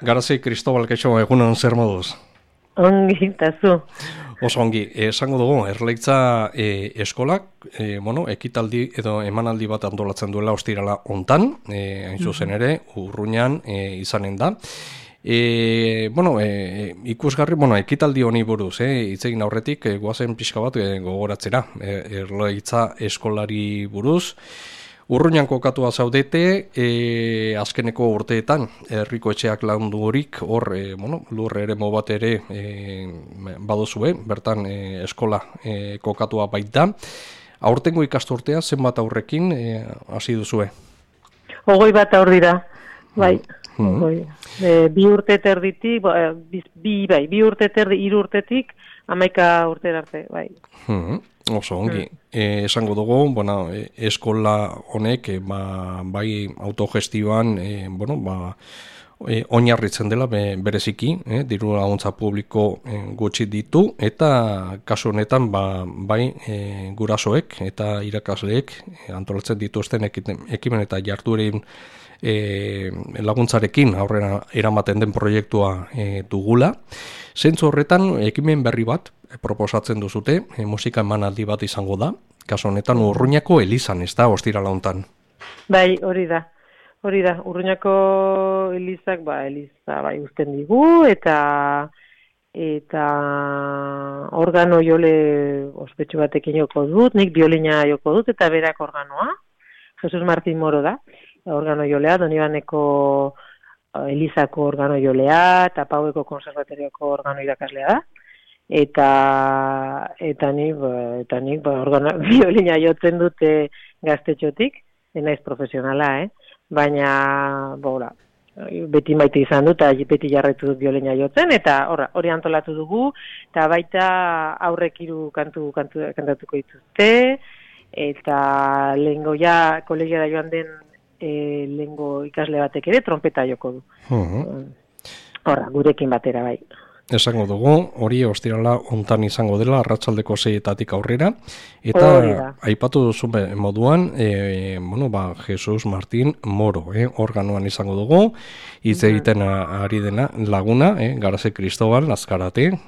Garazi Kristobal, kaixo, egunon zer moduz? Ongi, eta zu. Oso ongi, esango dugu, Erleitza eskolak, ekitaldi edo emanaldi bat antolatzen duela ostirala hontan, hain zuzen ere, Urruñan izanen da. Ikusgarri, ekitaldi honi buruz, hitz egin aurretik, goazen pixka bat gogoratzera, Erleitza eskolari buruz. Urruñan kokatua zaudete, azkeneko urteetan, herriko etxeak laundurik, hor, lur eremu bat ere baduzue, bertan eskola kokatua baita. Aurtengo ikasturtea, zenbat aurrekin hasi duzue? 21 aur dira, bai. Bi urte terditik, bi urte terdi, 3 urtetik, 11 urtera arte, bai. Oso ongi, esango dugu, eskola honek bai autogestioan oinarritzen dela bereziki, diru laguntza publiko gutxi ditu, eta kasu honetan bai gurasoek eta irakasleek antolatzen dituzten ekimen eta jarduerin laguntzarekin aurrera eramaten den proiektua dugula. Zentzu horretan ekimen berri bat proposatzen duzute, musika emanaldi bat izango da, kasu honetan Urruñako elizan, ez da, ostirala hontan. Bai, hori da. Urruñako elizak, eliza uzten digu, eta organo jole ospetsu batekin joko dut, nik biolina joko dut, eta berak organoa, Jesus Martin Moro da, organo jolea, Donibaneko elizako organo jolea, eta Paueko konservatorioko organo irakaslea da. Eta nik biolina jotzen dute gaztetxotik, naiz profesionala, baina beti maite izan dut, eta beti jarretu dut biolina jotzen, eta hori antolatu dugu, eta baita aurrek 3 kantatuko dituzte, eta lehengo kolegiara joan den lehengo ikasle batek ere trompeta joko du. Gurekin batera, bai. Esango dugu, hori ostirala hontan izango dela, arratsaldeko 6etatik aurrera, eta aipatu duzu moduan, Jesus Martin Moro, organoan izango dugu, hitz egiten ari dena laguna, Garazi Kristobal, Azkarate,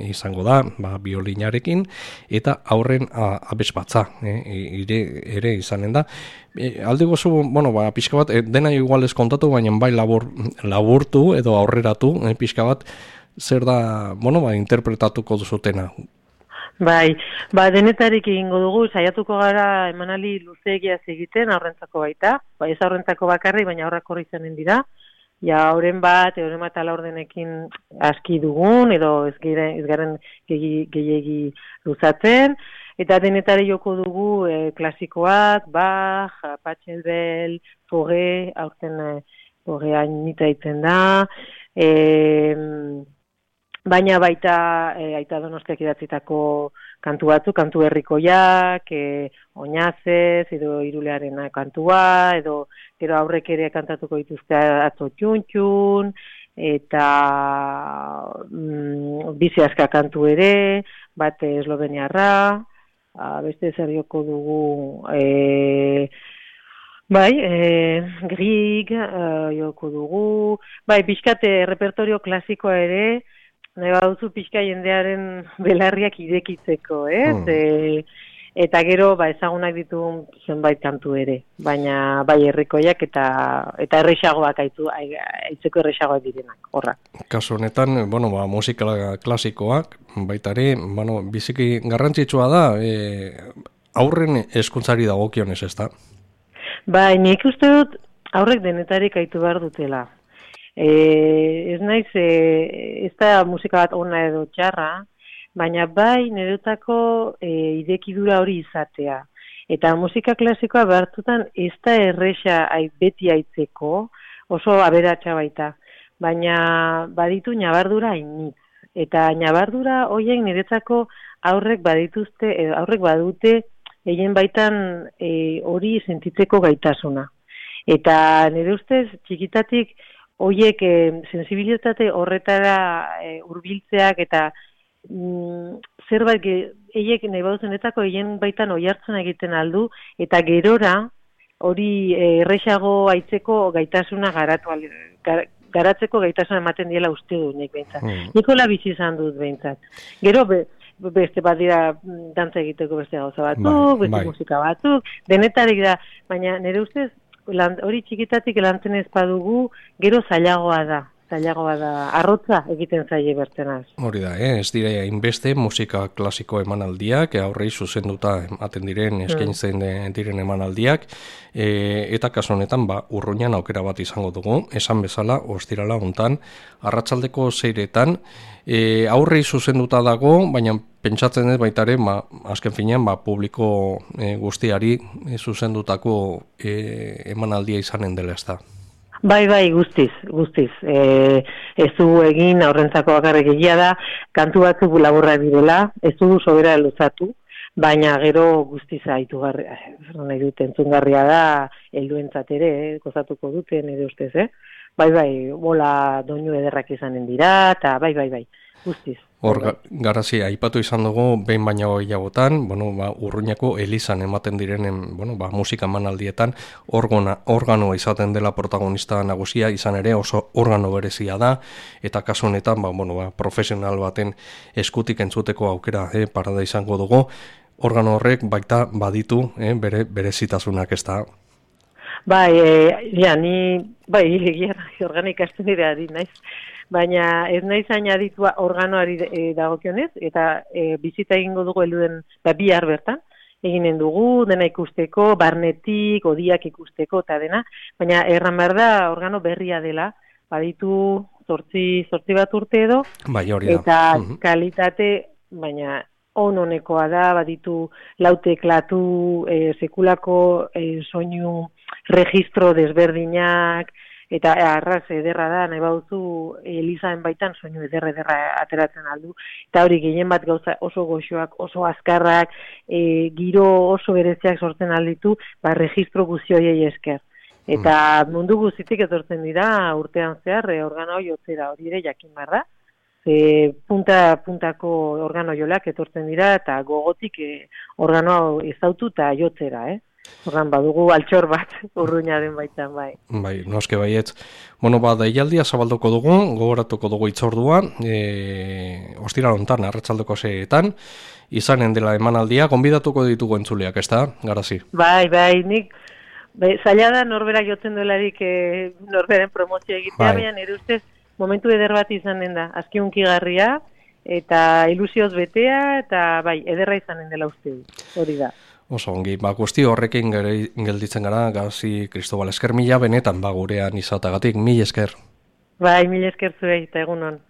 izango da, biolinarekin, eta aurren abesbatza, ere izanen da. Alde gozu, pixka bat, dena igual ez kontatu, baina bai laburtu edo aurreratu, pixka bat, zer da, interpretatuko duzutena. Bai, denetarik egingo dugu, saiatuko gara emanali luzeegiaz egiten, aurrentzako baita, ez aurrentzako bakarri, baina aurrak horri izanen dira, horren bat alaurdenekin aski dugun, edo ez garen gehiegi luzatzen, eta denetari joko dugu klasikoak, Bach, Pachelbel, Fauré, aurten Fauré hainita itzen da, baina baita Aita Donostiak idatzitako kantu batzuk, kantu herrikoiak, Oinazez, edo Irulearena kantua, edo gero aurrek ere kantatuko dituzte Atzo Txuntxun, eta Bizi Aska kantu ere, bat esloveniarra, beste zer joko dugu, Grieg joko dugu, pixkat repertorio klasikoa ere, nahi baduzu pixka jendearen belarriak irekitzeko, eta gero ezagunak ditu zenbait kantu ere, baina herrikoiak eta errexagoak aitzeko errexagoak direnak, horra. Kasu honetan, musika klasikoak, baita ere, biziki garrantzitsua da, aurren hezkuntzari dagokionez, ez da? Nik uste dut aurrek denetarik aitu behar dutela. Ez naiz, ez da musika bat ona edo txarra, baina nireutako idekidura hori izatea. Eta musika klasikoa behartutan ez da erresa beti aitzeko, oso aberatsa baita. Baina baditu nabardura hainitz. Eta nabardura horiek niretzako aurrek badute egin baitan hori sentitzeko gaitasuna. Eta nire ustez txikitatik horiek sensibilitate horretara hurbiltzeak eta zerbait eiek nahi baduzenetako egin baitan oihartzen egiten aldu, eta gerora hori erresago aitzeko gaitasuna garatzeko gaitasun ematen diela uste du nik behintzat. Nikola bizi izan dut behintzat. Gero beste bat dira dantza egiteko beste gauza batzuk, beste musika batzuk, denetarik da, baina nire ustez hori txikitatik lantzen ez badugu, gero zailagoa da, arrotza egiten zaie bertenaz. Hori da, ez dire hainbeste musika klasiko emanaldiak, aurrei zuzenduta ematen diren, eskaintzen diren emanaldiak, eta kasu honetan, Urruñan aukera bat izango dugu, esan bezala, ostirala hontan, arratsaldeko 6etan, aurrei zuzenduta dago, baina pentsatzen ez baitare, azken finean, publiko guztiari zuzendutako emanaldia izanen dela ez da. Bai, guztiz. Ez du egin aurrentzako bakarrik egia da, kantu batzuk laburra direla, ez du sobera luzatu, baina gero guztiz aitugarria, nahi dut entzungarria da, helduentzat ere, gozatuko duten, nire ustez, Bai, bola doinu ederrak izanen dira, eta bai, guztiz. Hor, garazi, aipatu izan dugu, behin baina gehiagotan, Urruñako elizan ematen direnen, musika emanaldietan, organoa izaten dela protagonista nagusia, izan ere oso organo berezia da, eta kasu honetan, profesional baten eskutik entzuteko aukera parada izango dugu, organo horrek baita baditu bere berezitasunak ez da. Egia organika estenidea ari naiz. Baina ez naiz aditua organoari dagokionez, eta bizita egingo dugu helduen bihar bertan, eginen dugu, dena ikusteko, barnetik, odiak ikusteko, eta dena, baina erran behar da organo berria dela, baditu zortzi bat urte edo, eta kalitate, baina onekoa da, baditu lauteklatu, sekulako soinu registro desberdinak, eta arraz ederra da, nahi bauzu elizaen baitan soinu ederra ateratzen aldu. Eta hori gehien bat gauza oso goxoak, oso azkarrak, giro oso bereziak sortzen alditu, registro guzioiei esker. Eta mundu guztitik etortzen dira urtean zehar organo jotzera, hori ere jakin barra. Puntako organo jolak etortzen dira, eta gogotik organo ezautu eta jotzera, Horran badugu altxor bat Urruñaren baitan, bai. Bai, noske baietz. Deialdia zabalduko dugu, gogoratuko dugu itzordua, ostiral hontan, arratsaldeko 6etan, izanen dela emanaldia, gonbidatuko ditugu entzuleak, ez da, garazi? Bai, nik, zaila da norbera jotzen duelarik norberen promozio egitea, baina nire ustez momentu eder bat izanen da, azkiunkigarria, eta ilusioz betea, eta ederra izanen dela uste, hori da. Oso ongi, guzti horrekin gelditzen gara, Gazi Kristobal, esker mila benetan gurean izatagatik, mil esker. Mil esker zuei, eta egunon.